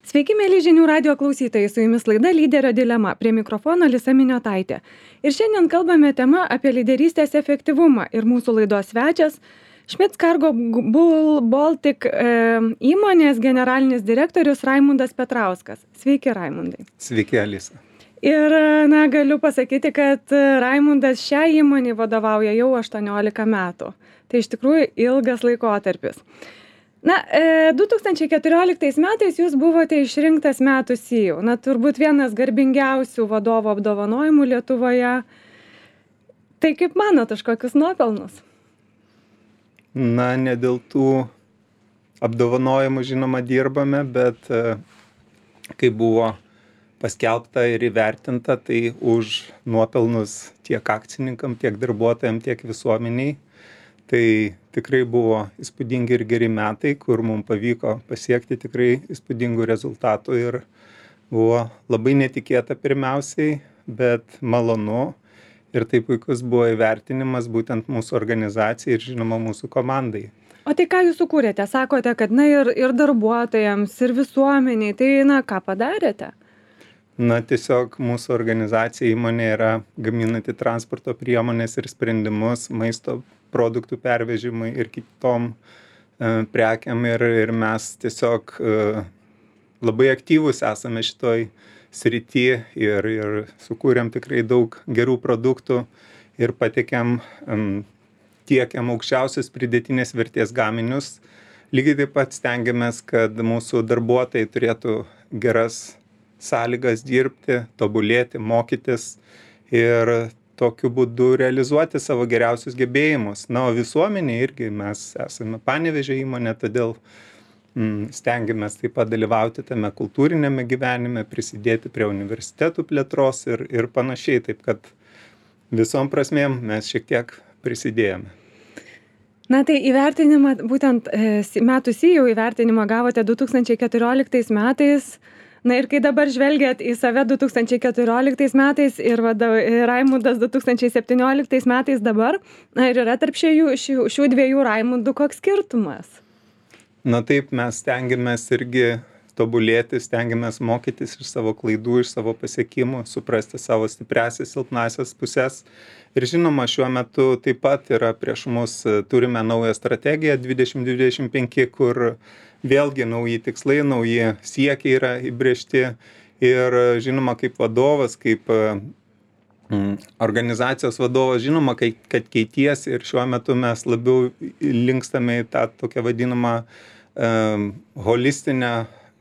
Sveiki, mėly žinių radio klausytojai, su jumis laida Lyderio dilema, prie mikrofono Lisa Miniotaitė. Ir šiandien kalbame tema apie lyderystės efektyvumą ir mūsų laidos svečias Schmitz Cargo Baltic įmonės generalinis direktorius Raimundas Petrauskas. Sveiki, Raimundai. Sveiki, Alisa. Ir galiu pasakyti, kad Raimundas šią įmonį vadovauja jau 18 metų. Tai iš tikrųjų ilgas laikotarpis. 2014 metais jūs buvote išrinktas metų CEO. Turbūt vienas garbingiausių vadovo apdovanojimų Lietuvoje. Tai kaip manot, už kokius nuopelnus? Ne dėl tų apdovanojimų žinoma dirbame, bet kai buvo paskelbta ir įvertinta, tai už nuopelnus tiek akcininkam, tiek darbuotojam, tiek visuomeniai. Tai tikrai buvo įspūdingi ir geri metai, kur mums pavyko pasiekti tikrai įspūdingų rezultatų ir buvo labai netikėta pirmiausiai, bet malonu ir tai puikus buvo įvertinimas būtent mūsų organizacijai ir žinoma mūsų komandai. O tai ką jūs sukūrėte? Sakote, kad ir darbuotojams, ir visuomeniai, tai ką padarėte? Tiesiog mūsų organizacija įmonė yra gaminanti transporto priemonės ir sprendimus, maisto produktų pervežimai ir kitom prekiam ir mes tiesiog labai aktyvus esame šitoj srity ir sukūrėm tikrai daug gerų produktų ir tiekiam aukščiausios pridėtinės vertės gaminius. Lygiai taip pat stengiamės, kad mūsų darbuotojai turėtų geras sąlygas dirbti, tobulėti, mokytis ir tokiu būdu realizuoti savo geriausius gebėjimus. O visuomenė irgi mes esame Panevėžio įmonė, todėl stengiamės taip pat dalyvauti tame kultūrinėme gyvenime, prisidėti prie universitetų plėtros ir panašiai. Taip kad visom prasmėm mes šiek tiek prisidėjome. Tai įvertinimą, būtent metų CEO įvertinimą gavote 2014 metais. Ir kai dabar žvelgiat į save 2014 metais ir Raimundas 2017 metais dabar, ir yra tarp šių dviejų Raimundų koks skirtumas? Taip, mes stengiamės irgi tobulėti, stengiamės mokytis iš savo klaidų, iš savo pasiekimų, suprasti savo stipriasias, silpnasias pusės. Ir žinoma, šiuo metu taip pat yra prieš mus, turime naują strategiją 2025, kur vėlgi nauji tikslai, nauji siekiai yra įbrėžti ir žinoma, kaip vadovas, kaip organizacijos vadovas, žinoma, kad keitiesi ir šiuo metu mes labiau linkstame į tą tokią vadinamą holistinę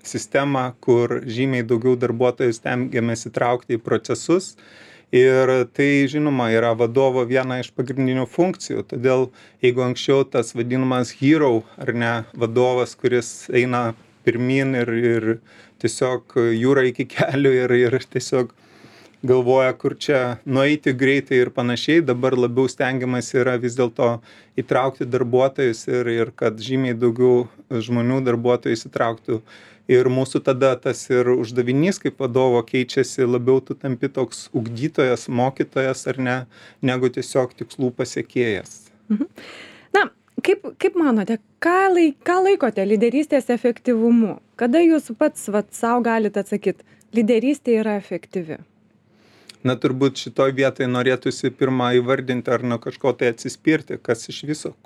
sistemą, kur žymiai daugiau darbuotojų stengiamės įtraukti į procesus. Ir tai, žinoma, yra vadovo viena iš pagrindinių funkcijų. Todėl, jeigu anksčiau tas vadinamas hero, ar ne, vadovas, kuris eina pirmin ir tiesiog jūra iki kelių ir tiesiog galvoja, kur čia nueiti greitai ir panašiai, dabar labiau stengiamas yra vis dėlto įtraukti darbuotojus ir kad žymiai daugiau žmonių darbuotojų įsitrauktų. Ir mūsų tada tas ir uždavinys kaip vadovo keičiasi, labiau tu tampi toks ugdytojas, mokytojas ar ne, negu tiesiog tikslų pasiekėjas. Kaip manote, ką laikote lyderystės efektyvumu? Kada jūs pats savo galite atsakyti, lyderystė yra efektyvi? Turbūt šitoj vietoj norėtųsi pirmą įvardinti ar nuo kažko tai atsispirti, kas iš viso,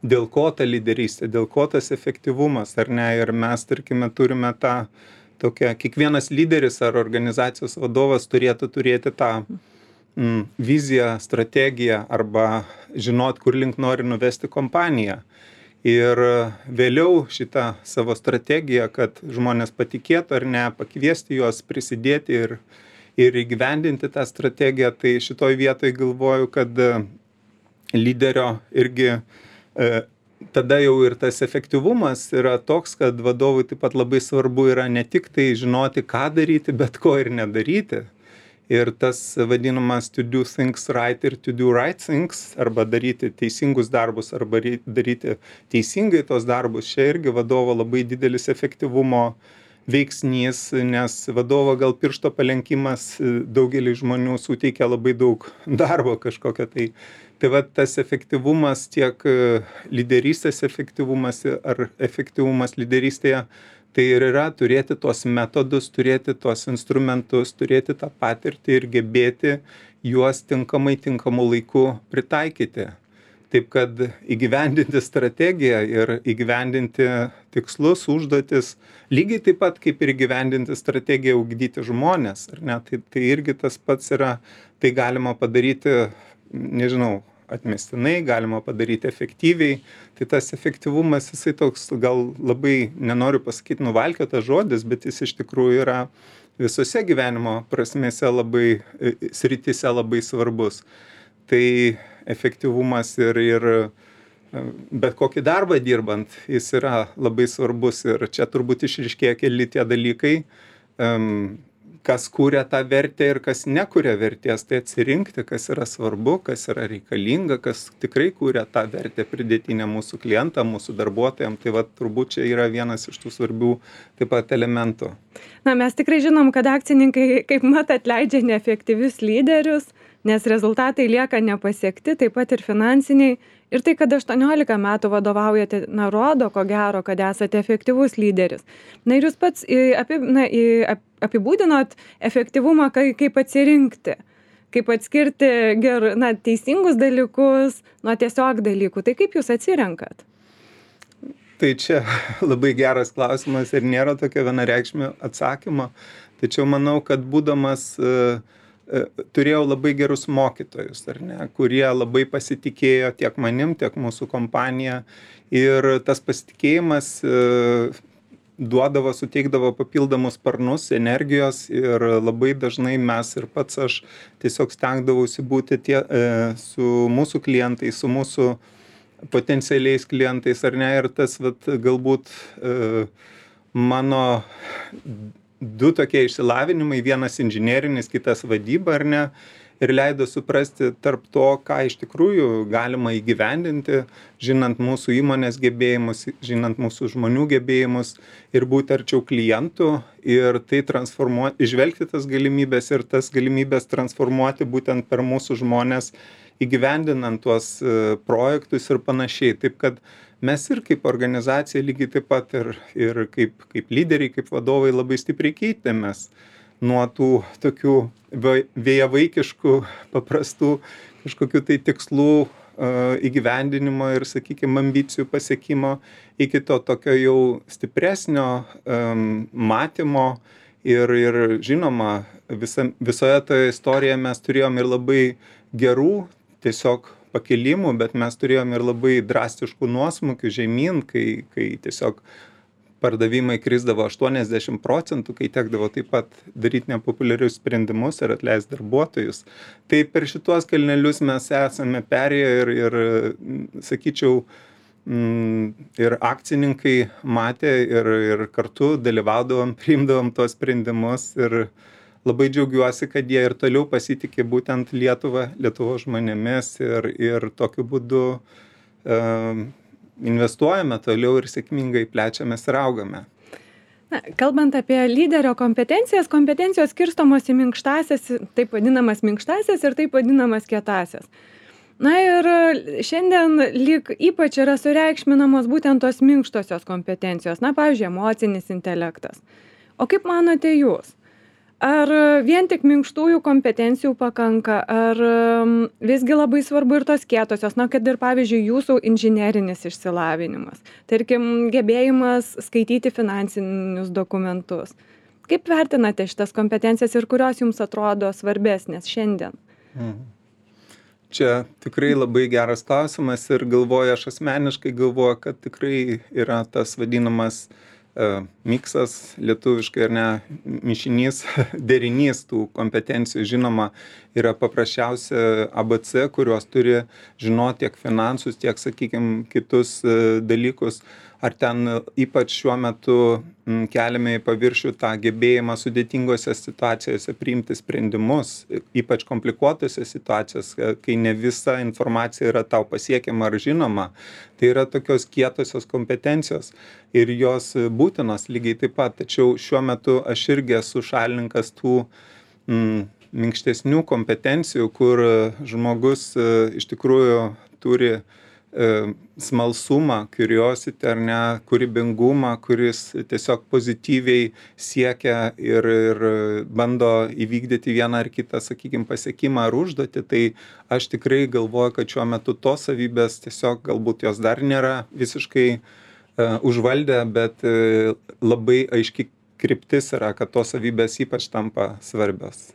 dėl ko ta lyderystė, dėl ko tas efektyvumas, ar ne? Ir mes, tarkime, turime tą tokią, kiekvienas lyderis ar organizacijos vadovas turėtų turėti tą viziją, strategiją arba žinot, kur link nori nuvesti kompaniją. Ir vėliau šitą savo strategiją, kad žmonės patikėtų ar ne, pakviesti juos prisidėti ir įgyvendinti tą strategiją, tai šitoj vietoj galvoju, kad lyderio irgi tada jau ir tas efektyvumas yra toks, kad vadovui taip pat labai svarbu yra ne tik tai žinoti, ką daryti, bet ko ir nedaryti. Ir tas vadinamas to do things right ir to do right things, arba daryti teisingus darbus, arba daryti teisingai tos darbus, čia irgi vadovo labai didelis efektyvumo veiksnys, nes vadovo gal piršto palenkimas daugelį žmonių suteikia labai daug darbo kažkokio. Tai va tas efektyvumas, tiek lyderystės efektyvumas ar efektyvumas lyderystėje Tai ir yra turėti tuos metodus, turėti tuos instrumentus, turėti tą patirtį ir gebėti juos tinkamu laiku pritaikyti. Taip kad įgyvendinti strategiją ir įgyvendinti tikslus, užduotis, lygiai taip pat kaip ir įgyvendinti strategiją ugdyti žmones, ar ne? Tai irgi tas pats yra, tai galima padaryti, nežinau, atmestinai, galima padaryti efektyviai. Tai tas efektyvumas, jisai toks gal labai, nenoriu pasakyti nuvalkiotas žodis, bet jis iš tikrųjų yra visose gyvenimo prasmėse labai, srityse labai svarbus. Tai efektyvumas ir bet kokį darbą dirbant, jis yra labai svarbus ir čia turbūt išryškėja keli tie dalykai, kas kūrė tą vertę ir kas nekuria vertės, tai atsirinkti, kas yra svarbu, kas yra reikalinga, kas tikrai kūrė tą vertę pridėtinę mūsų klientam, mūsų darbuotojams. Tai va, turbūt čia yra vienas iš tų svarbių taip pat elementų. Na, mes tikrai žinom, kad akcininkai kaip mat atleidžia neefektyvius lyderius, nes rezultatai lieka nepasiekti, taip pat ir finansiniai. Ir tai, kad 18 metų vadovaujate, rodo, ko gero, kad esate efektyvus lyderis. Na ir jūs pats apibūdinot efektyvumą kaip atsirinkti, kaip atskirti teisingus dalykus nuo tiesiog dalykų. Tai kaip jūs atsirenkat? Tai čia labai geras klausimas ir nėra tokio vienareikšmio atsakymo. Tačiau manau, kad būdamas turėjau labai gerus mokytojus, ar ne, kurie labai pasitikėjo tiek manim, tiek mūsų kompanija. Ir tas pasitikėjimas suteikdavo papildomus sparnus, energijos ir labai dažnai mes ir pats aš tiesiog stengdavausi būti su mūsų klientais, su mūsų potencialiais klientais, ar ne, ir tas galbūt mano du tokie išsilavinimai, vienas inžinerinis, kitas vadyba, ar ne, ir leido suprasti tarp to, ką iš tikrųjų galima įgyvendinti, žinant mūsų įmonės gebėjimus, žinant mūsų žmonių gebėjimus ir būti arčiau klientų ir tai transformuoti, išvelgti tas galimybės ir tas galimybės transformuoti būtent per mūsų žmonės, įgyvendinant tuos projektus ir panašiai. Taip kad mes ir kaip organizacija lygiai taip pat ir kaip lyderiai, kaip vadovai labai stipriai keitėmės nuo tų tokių vėjavaikiškų, paprastų kažkokių tai tikslų įgyvendinimo ir, sakykime, ambicijų pasiekimo iki to tokio jau stipresnio matymo ir žinoma, visoje toje istorijoje mes turėjom ir labai gerų tiesiog pakilimų, bet mes turėjom ir labai drastiškų nuosmukių žemyn, kai tiesiog pardavimai krisdavo 80%, kai tekdavo taip pat daryti nepopuliarius sprendimus ir atleisti darbuotojus. Tai per šituos kalnelius mes esame perėję ir sakyčiau, ir akcininkai matė ir kartu dalyvaudavom, priimdavom tuos sprendimus ir labai džiaugiuosi, kad jie ir toliau pasitikė būtent Lietuvos žmonėmis ir tokiu būdu investuojame toliau ir sėkmingai plečiamės ir augame. Na, kalbant apie lyderio kompetencijos skirstomos į minkštąsias, taip vadinamas minkštąsias ir taip vadinamas kietąsias. Na ir šiandien lyg ypač yra sureikšminamos būtent tos minkštosios kompetencijos, pavyzdžiui, emocinis intelektas. O kaip manote jūs? Ar vien tik minkštųjų kompetencijų pakanka, ar visgi labai svarbu ir tos kietosios, kad ir pavyzdžiui jūsų inžinerinis išsilavinimas, tarkim, gebėjimas skaityti finansinius dokumentus. Kaip vertinate šitas kompetencijas ir kurios jums atrodo svarbesnės šiandien? Čia tikrai labai geras klausimas ir aš asmeniškai galvoju, kad tikrai yra tas vadinamas miksas lietuviškai, ar ne, mišinys, derinys tų kompetencijų. Žinoma, yra paprasčiausia ABC, kurios turi žinoti tiek finansus, tiek, sakykime, kitus dalykus. Ar ten ypač šiuo metu keliame į paviršių tą gebėjimą sudėtingose situacijose priimti sprendimus, ypač komplikuotose situacijose, kai ne visa informacija yra tau pasiekiama ar žinoma. Tai yra tokios kietosios kompetencijos ir jos būtinos lygiai taip pat. Tačiau šiuo metu aš irgi esu šalininkas tų minkštesnių kompetencijų, kur žmogus iš tikrųjų turi smalsumą, curiosity ar ne, kūrybingumą, kuris tiesiog pozityviai siekia ir bando įvykdyti vieną ar kitą, sakykime, pasiekimą ar užduotį, tai aš tikrai galvoju, kad šiuo metu tos savybės tiesiog galbūt jos dar nėra visiškai užvaldę, bet labai aiški kryptis yra, kad tos savybės ypač tampa svarbios.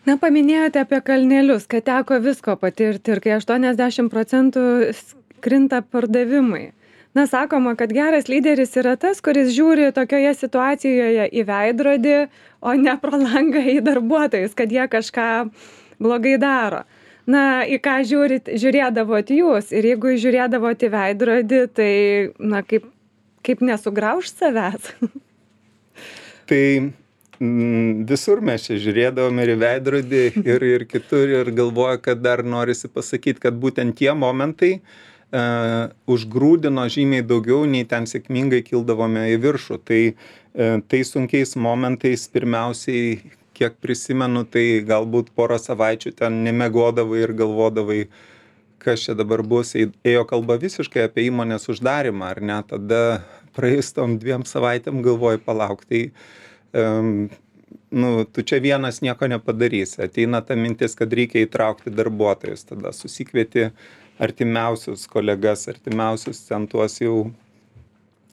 Na, paminėjote apie kalnelius, kad teko visko patirti ir kai 80% krinta pardavimai. Na, sakoma, kad geras lyderis yra tas, kuris žiūri tokioje situacijoje į veidrodį, o ne pro langą į darbuotojus, kad jie kažką blogai daro. Na, į ką žiūrėdavot jūs ir jeigu žiūrėdavot į veidrodį, tai, na, kaip nesugrauž savęs? Tai visur mes čia žiūrėdavom ir į veidrodį, ir kitur, ir galvoju, kad dar norisi pasakyti, kad būtent tie momentai užgrūdino žymiai daugiau, nei ten sėkmingai kildavome į viršų. Tai sunkiais momentais pirmiausiai, kiek prisimenu, tai galbūt porą savaičių ten nemiegodavai ir galvodavai, kas čia dabar bus. Ėjo kalba visiškai apie įmonės uždarimą, ar ne? Tada praėjus tom 2 savaitėm galvoju, palauk, tai tu čia vienas nieko nepadarysi. Ateina ta mintis, kad reikia įtraukti darbuotojus, tada susikvieti artimiausius kolegas, artimiausius ten tuos jau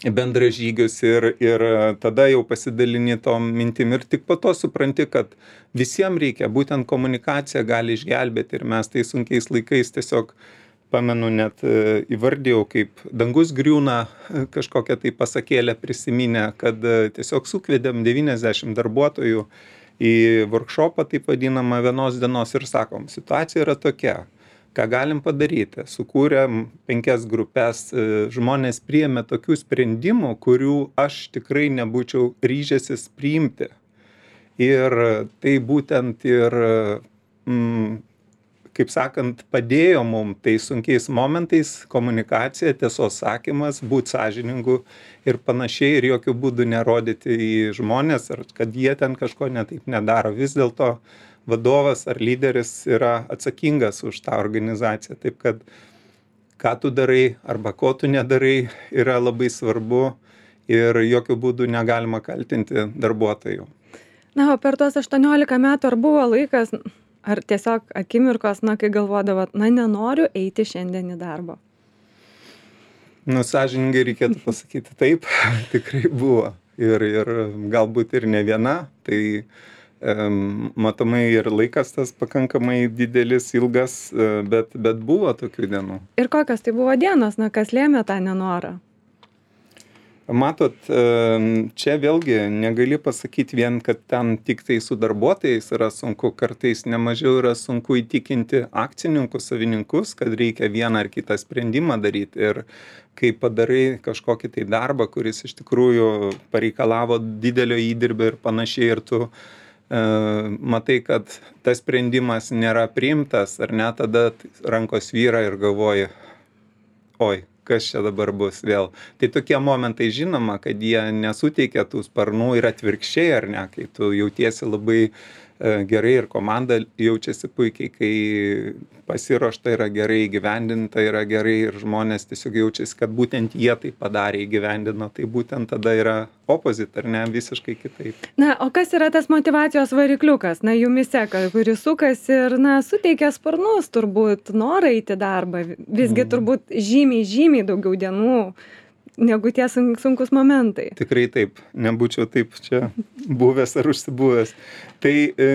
bendražygius ir tada jau pasidalini tom mintim ir tik po to supranti, kad visiems reikia, būtent komunikacija gali išgelbėti ir mes tai sunkiais laikais tiesiog, pamenu, net įvardėjau, kaip dangus griūna, kažkokią tai pasakėlę prisiminę, kad tiesiog sukvedėm 90 darbuotojų į workshopą, taip vadinamą, vienos dienos ir sakom, situacija yra tokia, ką galim padaryti. Sukūrėm 5 grupės, žmonės priėmė tokių sprendimų, kurių aš tikrai nebūčiau ryžęsis priimti. Ir tai būtent ir kaip sakant, padėjo mum tai sunkiais momentais komunikacija, tiesos sakymas, būt sąžiningu ir panašiai ir jokių būdų nerodyti į žmonės, ar kad jie ten kažko netaip nedaro. Vis dėlto vadovas ar lyderis yra atsakingas už tą organizaciją. Taip kad ką tu darai arba ko tu nedarai yra labai svarbu ir jokių būdų negalima kaltinti darbuotojų. Na, o per tuos 18 metų ar buvo laikas, ar tiesiog akimirkos, kai galvodavot, nenoriu eiti šiandien į darbą? Sąžiningai reikėtų pasakyti taip, tikrai buvo. Ir galbūt ir ne viena, tai matomai ir laikas tas pakankamai didelis, ilgas, bet buvo tokių dienų. Ir kokios tai buvo dienos, kas lėmė tą nenorą? Matot, čia vėlgi negali pasakyti vien, kad ten tik tai su darbuotojais yra sunku, kartais nemažiau yra sunku įtikinti akcininkus, savininkus, kad reikia vieną ar kitą sprendimą daryti. Ir kai padarai kažkokį tai darbą, kuris iš tikrųjų pareikalavo didelio įdirbio ir panašiai, ir tu matai, kad tas sprendimas nėra priimtas, ar ne, tada rankos vyra ir galvoji, oi, kas čia dabar bus vėl. Tai tokie momentai žinoma, kad jie nesuteikia tų sparnų ir atvirkščiai, ar ne, kai tu jautiesi labai gerai ir komanda jaučiasi puikiai, kai pasiruošta yra gerai, įgyvendinta yra gerai ir žmonės tiesiog jaučiasi, kad būtent jie tai padarė, įgyvendino, tai būtent tada yra opposite, ar ne, visiškai kitaip. Na, o kas yra tas motivacijos varikliukas, jumise, kuris sukasi ir, suteikia sparnus turbūt norą eiti darbą, visgi turbūt žymiai daugiau dienų negu tie sunkus momentai. Tikrai taip, nebūčiau taip čia buvęs ar užsibuvęs. Tai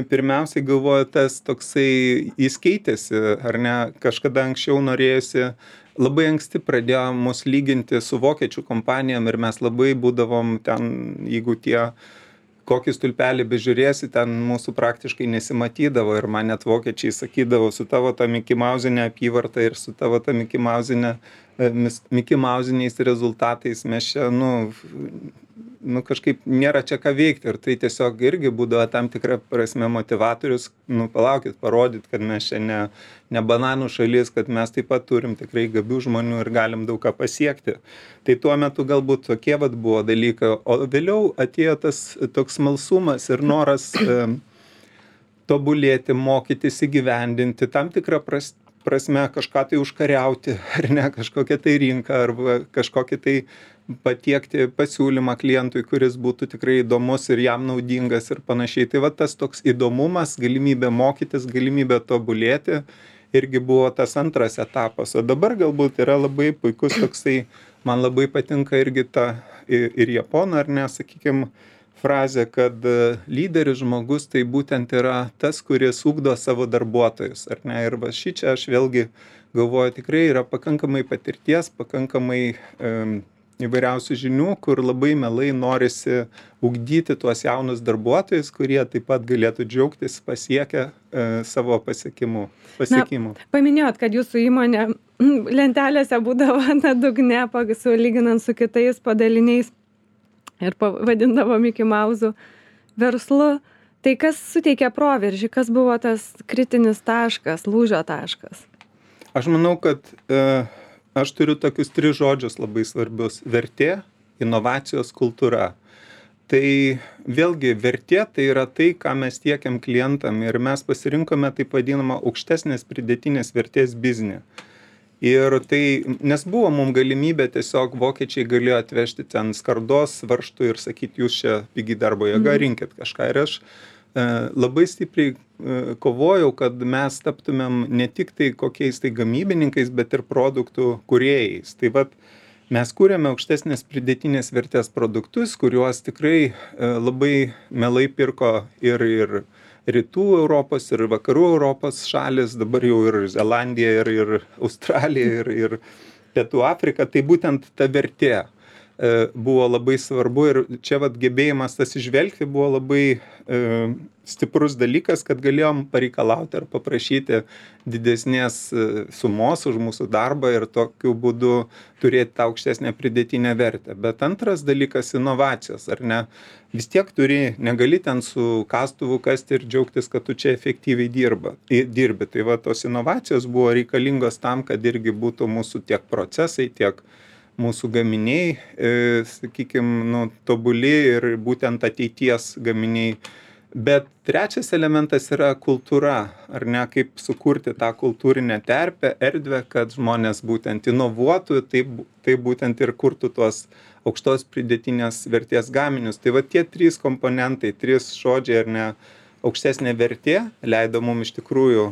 pirmiausiai galvoju, tas toksai jis keitėsi, ar ne, kažkada anksčiau norėjusi, labai anksti pradėjo mus lyginti su vokiečių kompanijom ir mes labai būdavom ten, jeigu tie kokį stulpelį bežiūrėsi, ten mūsų praktiškai nesimatydavo ir man net vokiečiai sakydavo, su tavo ta Mickey Mousinė apyvarta ir su tavo ta Mickey Mousiniais rezultatais mes čia, kažkaip nėra čia ką veikti ir tai tiesiog irgi būdavo tam tikra prasme motivatorius, palaukit, parodyt, kad mes čia ne bananų šalis, kad mes taip pat turim tikrai gabių žmonių ir galim daug ką pasiekti. Tai tuo metu galbūt tokie buvo dalykai, o vėliau atėjo tas toks smalsumas ir noras tobulėti, mokytis, įgyvendinti, tam tikrą prasme kažką tai užkariauti, ar ne, kažkokią tai rinką, arba kažkokį tai patiekti pasiūlymą klientui, kuris būtų tikrai įdomus ir jam naudingas ir panašiai. Tai va tas toks įdomumas, galimybė mokytis, galimybė tobulėti irgi buvo tas antras etapas. O dabar galbūt yra labai puikus toksai, man labai patinka irgi ta ir japonų, ar ne, sakykime, frazė, kad lyderis žmogus tai būtent yra tas, kuris ugdo savo darbuotojus, ar ne? Ir va šičia aš vėlgi galvoju, tikrai yra pakankamai patirties, pakankamai įvairiausių žinių, kur labai mielai norisi ugdyti tuos jaunus darbuotojus, kurie taip pat galėtų džiaugtis pasiekę savo pasiekimų. Paminėjot, kad jūsų įmonė lentelėse būdavo dugne, lyginant su kitais padaliniais ir vadindavo Mickey Mouse'u verslu. Tai kas suteikė proveržį, kas buvo tas kritinis taškas, lūžio taškas? Aš manau, kad aš turiu tokius 3 žodžius labai svarbius: vertė, inovacijos, kultūra. Tai vėlgi vertė tai yra tai, ką mes tiekiam klientam, ir mes pasirinkome taip vadinamą aukštesnės pridėtinės vertės biznį. Ir tai, nes buvo mums galimybė, tiesiog vokiečiai galėjo atvežti ten skardos, varžtų ir sakyti, jūs čia pigi darbo jėga, rinkit kažką. Ir aš labai stipriai kovojau, kad mes taptumėm ne tik tai kokiais tai gamybininkais, bet ir produktų kūrėjais. Tai vat mes kūrėme aukštesnės pridėtinės vertės produktus, kuriuos tikrai labai mielai pirko ir rytų Europos, ir vakarų Europos šalis, dabar jau ir Zelandija, ir Australija, ir Pietų Afrika. Tai būtent ta vertė buvo labai svarbu, ir čia vat gebėjimas tas išvelgti buvo labai stiprus dalykas, kad galėjom pareikalauti ar paprašyti didesnės sumos už mūsų darbą ir tokiu būdu turėti tą aukštesnę pridėtinę vertę. Bet antras dalykas — inovacijos, ar ne? Vis tiek negali ten su kastuvu kasti ir džiaugtis, kad tu čia efektyviai dirbi. Tai va, tos inovacijos buvo reikalingos tam, kad irgi būtų mūsų tiek procesai, tiek mūsų gaminiai, sakykime, tobuli ir būtent ateities gaminiai. Bet trečias elementas yra kultūra, ar ne, kaip sukurti tą kultūrinę terpę, erdvę, kad žmonės būtent inovuotų, tai būtent ir kurtų tuos aukštos pridėtinės vertės gaminius. Tai va tie 3 komponentai, 3 žodžiai, ar ne, aukštesnė vertė leido mums iš tikrųjų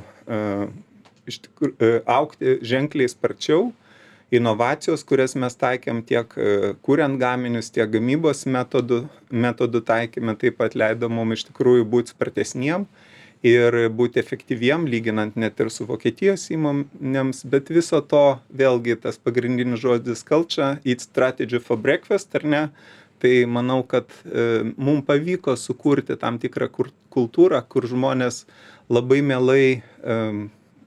augti ženkliai sparčiau. Inovacijos, kurias mes taikėm tiek kuriant gaminius, tiek gamybos metodų taikėme, taip pat leido mums iš tikrųjų būti spartesniem ir būti efektyviem, lyginant net ir su Vokietijos įmonėms. Bet viso to vėlgi tas pagrindinis žodis culture, eat strategy for breakfast, ar ne? Tai manau, kad mums pavyko sukurti tam tikrą kultūrą, kur žmonės labai mielai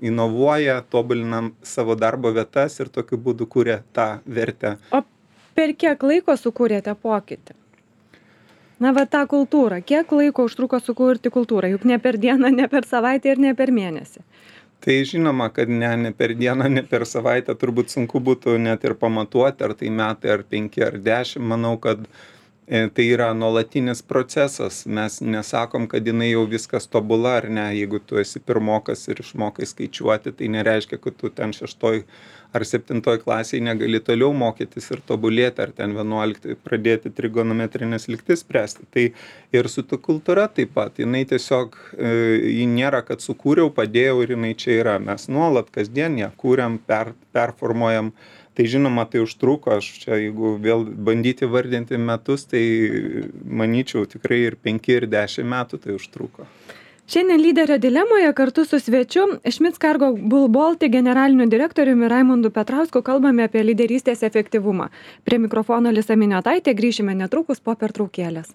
inovuoja, tobulinam savo darbo vietas ir tokiu būdu kūrė tą vertę. O per kiek laiko sukūrėte pokytį? Na, va, tą kultūrą. Kiek laiko užtruko sukurti kultūrą? Juk ne per dieną, ne per savaitę ir ne per mėnesį. Tai žinoma, kad ne per dieną, ne per savaitę. Turbūt sunku būtų net ir pamatuoti, ar tai metai, ar 5, ar 10. Manau, kad tai yra nuolatinis procesas. Mes nesakom, kad jinai jau viskas tobula, ar ne. Jeigu tu esi pirmokas ir išmokai skaičiuoti, tai nereiškia, kad tu ten 6 ar 7 klasėje negali toliau mokytis ir tobulėti, ar ten 11 pradėti trigonometrinės lygtis spręsti. Tai ir su ta kultūra taip pat. Jinai tiesiog, ji nėra, kad sukūriau, padėjau ir jinai čia yra. Mes nuolat kasdien ją kūriam, performuojam. Tai žinoma, tai užtruko. Aš čia, jeigu vėl bandyti vardinti metus, tai manyčiau tikrai ir 5, ir 10 metų tai užtruko. Šiandien lyderio dilemoje kartu su svečiu Schmitz Cargo Bull Baltic generaliniu direktoriumi Raimundu Petrausku kalbame apie lyderystės efektyvumą. Prie mikrofono Lisa Miniotaitė, grįšime netrukus po pertraukėlės.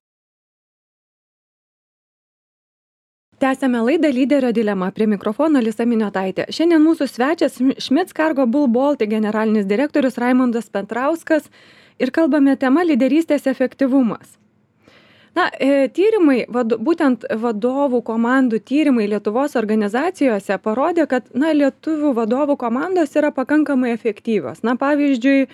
Tęsiame laidą Lyderio dilema. Prie mikrofono Lisa Miniotaitė. Šiandien mūsų svečias Schmitz Cargo Bull Baltic generalinis direktorius Raimundas Petrauskas ir kalbame tema lyderystės efektyvumas. Na, tyrimai, būtent vadovų komandų tyrimai Lietuvos organizacijose parodė, kad lietuvių vadovų komandos yra pakankamai efektyvios. Na, pavyzdžiui,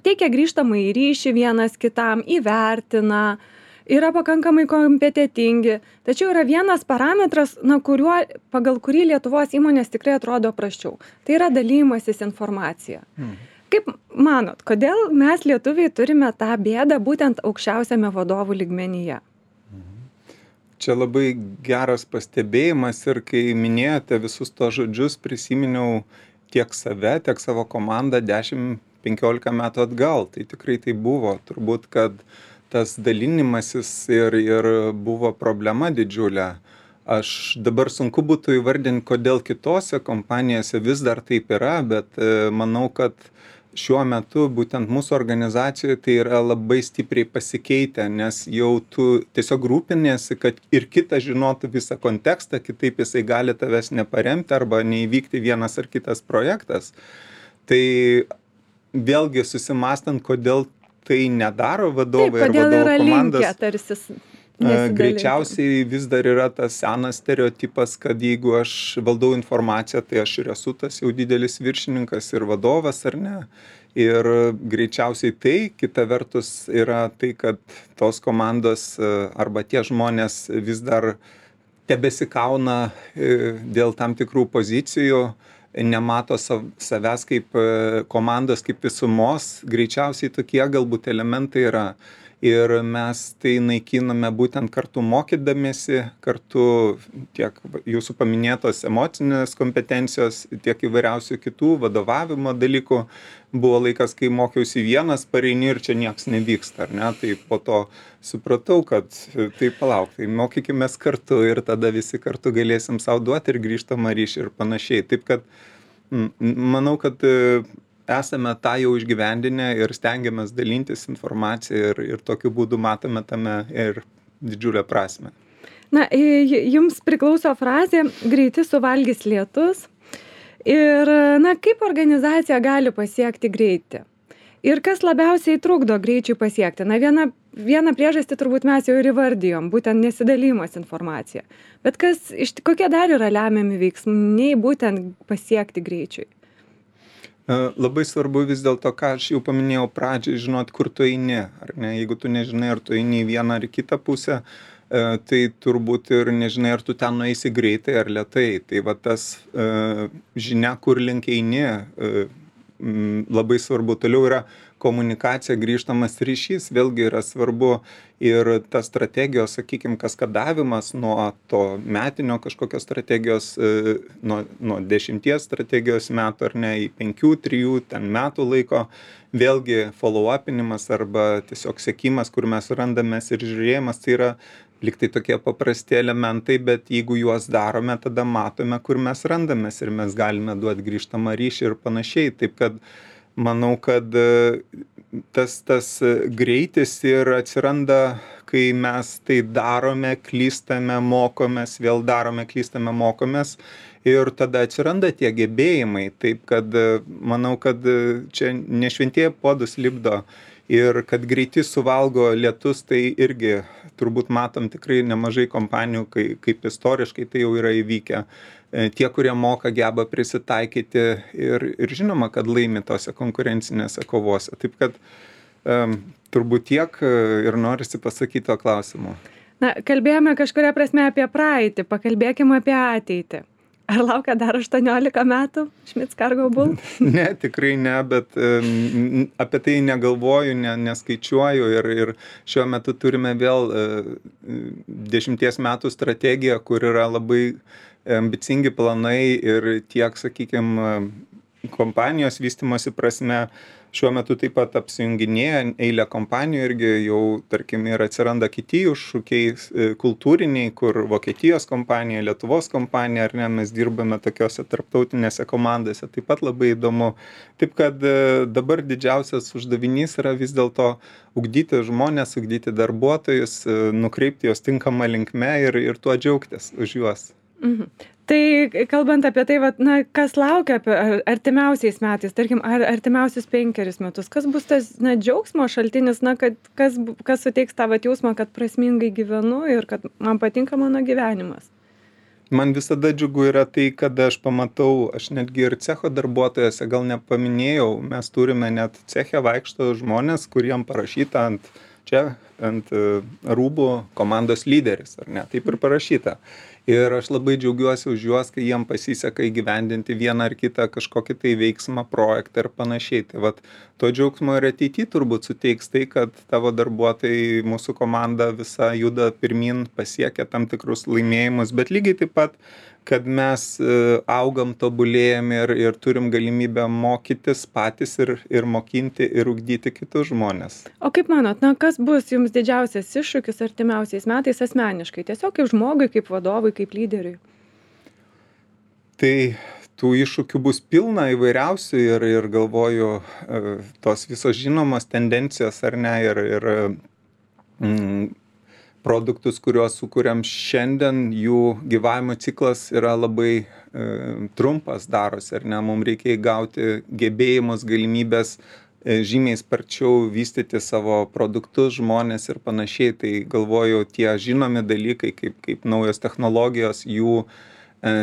teikia grįžtamąjį ryšį vienas kitam, įvertina, yra pakankamai kompetentingi, tačiau yra vienas parametras, pagal kurį Lietuvos įmonės tikrai atrodo prasčiau. Tai yra dalymasis informacija. Kaip manot, kodėl mes lietuviai turime tą bėdą būtent aukščiausiame vadovų lygmenyje? Čia labai geras pastebėjimas ir kai minėjote visus tos žodžius, prisiminiau tiek save, tiek savo komandą 10-15 metų atgal. Tai tikrai tai buvo. Turbūt, kad tas dalinimasis ir buvo problema didžiulė. Aš dabar sunku būtų įvardinti, kodėl kitose kompanijose vis dar taip yra, bet manau, kad šiuo metu būtent mūsų organizacijoje tai yra labai stipriai pasikeitę, nes jau tu tiesiog rūpiniesi, kad ir kitas žinotų visą kontekstą, kitaip jisai gali tavęs neparemti arba neįvykti vienas ar kitas projektas. Tai vėlgi susimastant, kodėl tai nedaro vadovai ar vadovų komandos. Greičiausiai vis dar yra tas senas stereotipas, kad jeigu aš valdau informaciją, tai aš ir esu tas jau didelis viršininkas ir vadovas, ar ne. Ir greičiausiai tai, kita vertus, yra tai, kad tos komandos arba tie žmonės vis dar tebesikauna dėl tam tikrų pozicijų, nemato savęs kaip komandos, kaip visumos. Greičiausiai tokie galbūt elementai yra. Ir mes tai naikiname būtent kartu mokydamiesi, kartu tiek jūsų paminėtos emocinės kompetencijos, tiek įvairiausių kitų vadovavimo dalykų. Buvo laikas, kai mokiausi vienas, pareini ir čia nieks nevyksta, ar ne? Tai po to supratau, kad tai palauk, tai mokykimės kartu ir tada visi kartu galėsim sau duoti ir grįžtamą ryšį ir panašiai. Taip kad manau, kad esame tą jau išgyvendinę ir stengiamės dalintis informaciją ir tokiu būdu matome tame ir didžiulę prasmę. Na, jums priklauso frazė "greiti suvalgys lietus". Ir, kaip organizacija gali pasiekti greitį? Ir kas labiausiai trukdo greičiui pasiekti? Vieną priežastį turbūt mes jau ir įvardijom, būtent nesidalymas informacija. Bet kokie dar yra lemiami veiksniai būtent pasiekti greičiui? Labai svarbu vis dėlto, ką aš jau paminėjau pradžiai, žinot, kur tu eini, ar ne? Jeigu tu nežinai, ar tu eini į vieną ar kitą pusę, tai turbūt ir nežinai, ar tu ten nueisi greitai ar lėtai. Tai va tas žinia, kur link eini, labai svarbu. Toliau yra komunikacija, grįžtamas ryšys, vėlgi yra svarbu ir ta strategijos, sakykime, kaskadavimas nuo to metinio kažkokios strategijos, nuo 10 strategijos metų ar ne į 5-3 metų laiko, vėlgi follow-upinimas arba tiesiog sekimas, kur mes randamės ir žiūrėjimas, tai yra lyg tai tokie paprasti elementai, bet jeigu juos darome, tada matome, kur mes randamės ir mes galime duoti grįžtamą ryšį ir panašiai. Taip kad manau, kad tas greitis ir atsiranda, kai mes tai darome, klystame, mokomės, vėl darome, klystame, mokomės ir tada atsiranda tie gebėjimai. Taip kad manau, kad čia ne šventieji puodus lipdo ir kad greiti suvalgo lietus, tai irgi turbūt matom tikrai nemažai kompanijų, kaip istoriškai tai jau yra įvykę. Tie, kurie moka, geba prisitaikyti ir žinoma, kad laimi tose konkurencinėse kovose. Taip kad turbūt tiek ir norisi pasakyti to klausimu. Kalbėjome kažkuria prasme apie praeitį, pakalbėkime apie ateitį. Ar laukia dar 18 metų Schmitz Cargo Bull? Ne, tikrai ne, bet apie tai negalvoju, neskaičiuoju ir šiuo metu turime vėl 10 metų strategiją, kur yra labai ambicingi planai ir tiek, sakykime, kompanijos vystymosi prasme. Šiuo metu taip pat apsijunginėja eilė kompanijų irgi jau, tarkim, ir atsiranda kiti iššūkiai kultūriniai, kur Vokietijos kompanija, Lietuvos kompanija, ar ne, mes dirbame tokiose tarptautinėse komandose, taip pat labai įdomu. Taip kad dabar didžiausias uždavinys yra vis dėlto ugdyti žmonės, ugdyti darbuotojus, nukreipti juos tinkamą linkme ir tuo džiaugtis už juos. Tai kalbant apie tai, kas laukia artimiausiais metais, tarkim, artimiausius 5 metus, kas bus tas džiaugsmo šaltinis, kas suteiks tą jausmą, kad prasmingai gyvenu ir kad man patinka mano gyvenimas? Man visada džiugu yra tai, kad aš pamatau, aš netgi ir cecho darbuotojose, gal nepaminėjau, mes turime net ceche vaikšto žmonės, kuriem parašyta ant čia ant rūbų komandos lyderis, ar ne, taip ir parašyta. Ir aš labai džiaugiuosi už juos, kai jiem pasiseka įgyvendinti vieną ar kitą kažkokį tai veiksmą, projektą ir panašiai. Tai vat to džiaugsmo ir ateityje turbūt suteiks tai, kad tavo darbuotojai, mūsų komanda visa juda pirmin, pasiekia tam tikrus laimėjimus, bet lygiai taip pat, kad mes augam, tobulėjam ir turim galimybę mokytis patys ir mokinti ir ugdyti kitus žmones. O kaip manot, kas bus jums didžiausias iššūkis artimiausiais metais asmeniškai, tiesiog kaip žmogui, kaip vadovui, kaip lyderiui? Tai tų iššūkių bus pilna įvairiausių ir galvoju, tos visos žinomos tendencijos ar ne, ir produktus, kuriuos sukuriam šiandien, jų gyvavimo ciklas yra labai trumpas darosi, ar ne, mums reikia įgauti gebėjimus, galimybės žymiai sparčiau vystyti savo produktus, žmonės ir panašiai. Tai galvoju, tie žinomi dalykai, kaip naujos technologijos, jų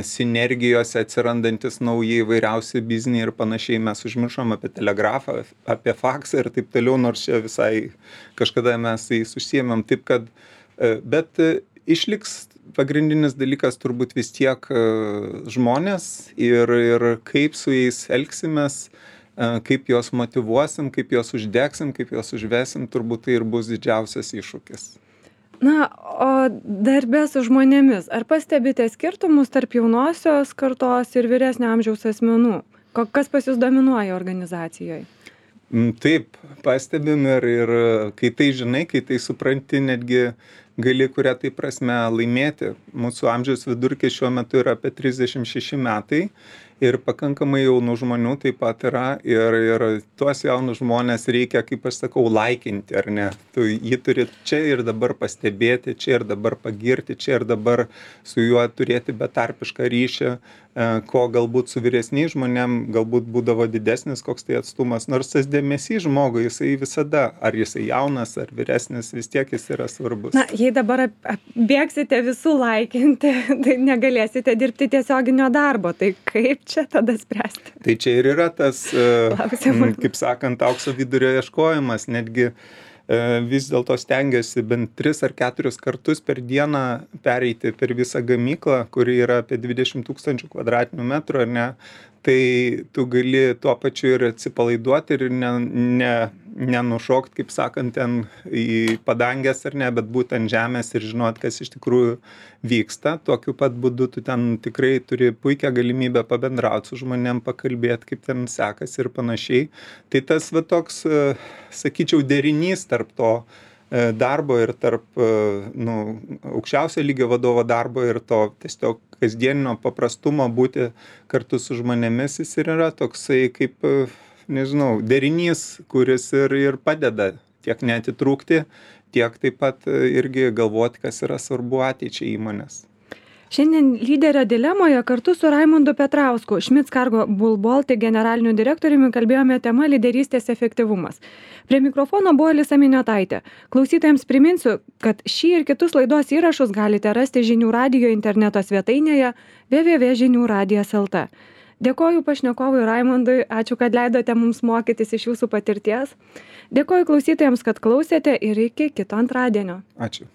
sinergijose atsirandantis nauji įvairiausi bizniai ir panašiai. Mes užmiršom apie telegrafą, apie faksą ir taip toliau, nors čia visai kažkada mes jais užsiėmėm. Taip kad bet išliks pagrindinis dalykas turbūt vis tiek žmonės ir kaip su jais elgsimės, kaip juos motyvuosim, kaip juos uždegsim, kaip juos užvesim, turbūt tai ir bus didžiausias iššūkis. Na, o darbe su žmonėmis, ar pastebite skirtumus tarp jaunosios kartos ir vyresnio amžiaus asmenų? Kas pas jūs dominuoja organizacijoje? Taip, pastebim ir kai tai žinai, kai tai supranti, netgi gali kuria tai prasme laimėti. Mūsų amžiaus vidurkis šiuo metu yra apie 36 metai ir pakankamai jaunų žmonių taip pat yra ir tuos jaunus žmonės reikia, kaip aš sakau, laikinti, ar ne? Tu jį turi čia ir dabar pastebėti, čia ir dabar pagirti, čia ir dabar su juo turėti betarpišką ryšį, ko galbūt su vyresniais žmonėm galbūt būdavo didesnis koks tai atstumas, nors tas dėmesys žmogui, jisai visada, ar jisai jaunas, ar vyresnis, vis tiek jis yra svarbus. Na, jei dabar bėgsite visų laikinti, tai negalėsite dirbti tiesioginio darbo, tai kaip čia tada spręsti? Tai čia ir yra tas, kaip sakant, aukso vidurio ieškojimas, netgi vis dėlto stengiasi bent 3 ar 4 kartus per dieną pereiti per visą gamyklą, kuri yra apie 20 000 kvadratinių metrų, ar ne, tai tu gali tuo pačiu ir atsipalaiduoti ir nenušokt, kaip sakant, ten į padangės ar ne, bet būti ant žemės ir žinot, kas iš tikrųjų vyksta. Tokiu pat būdu tu ten tikrai turi puikią galimybę pabendrauti su žmonėm, pakalbėti, kaip ten sekasi ir panašiai. Tai tas va toks, sakyčiau, derinys tarp to darbo ir tarp aukščiausio lygio vadovo darbo ir to tiesiog kasdieninio paprastumo būti kartu su žmonėmis, jis ir yra toksai kaip, nežinau, derinys, kuris ir padeda tiek neatitrūkti, tiek taip pat irgi galvoti, kas yra svarbu ateičiai įmonės. Šiandien lyderio dilemoje kartu su Raimundu Petrausku, Schmitz Cargo Bull Baltic generaliniu direktoriumi kalbėjome tema lyderystės efektyvumas. Prie mikrofono buvo Alisa Miniotaitė. Klausytojams priminsiu, kad šį ir kitus laidos įrašus galite rasti Žinių radijo interneto svetainėje www.žiniuradijas.lt. Dėkoju pašnekovui Raimundui, ačiū, kad leidote mums mokytis iš jūsų patirties. Dėkoju klausytojams, kad klausėte ir iki kito antradienio. Ačiū.